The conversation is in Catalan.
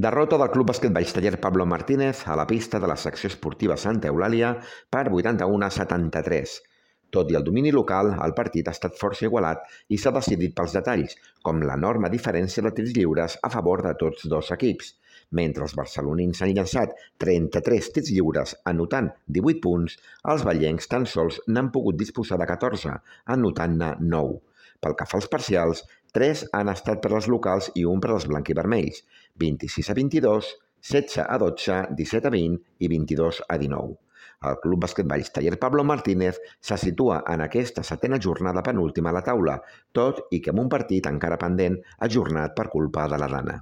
Derrota del Club Basquetball Taller Pablo Martínez a la pista de la secció esportiva Santa Eulàlia per 81-73. Tot i el domini local, el partit ha estat força igualat i s'ha decidit pels detalls, com l'enorme diferència de tirs lliures a favor de tots dos equips. Mentre els barcelonins han llançat 33 tirs lliures anotant 18 punts, els ballencs tan sols n'han pogut disposar de 14, anotant-ne 9. Pel que fa als parcials, 3 han estat per als locals i un per als blanquivermells, 26-22, 16-12, 17-20 i 22-19. El Club Basquetball Taller Pablo Martínez se situa en aquesta setena jornada penúltima a la taula, tot i que amb un partit encara pendent ajornat per culpa de la Dana.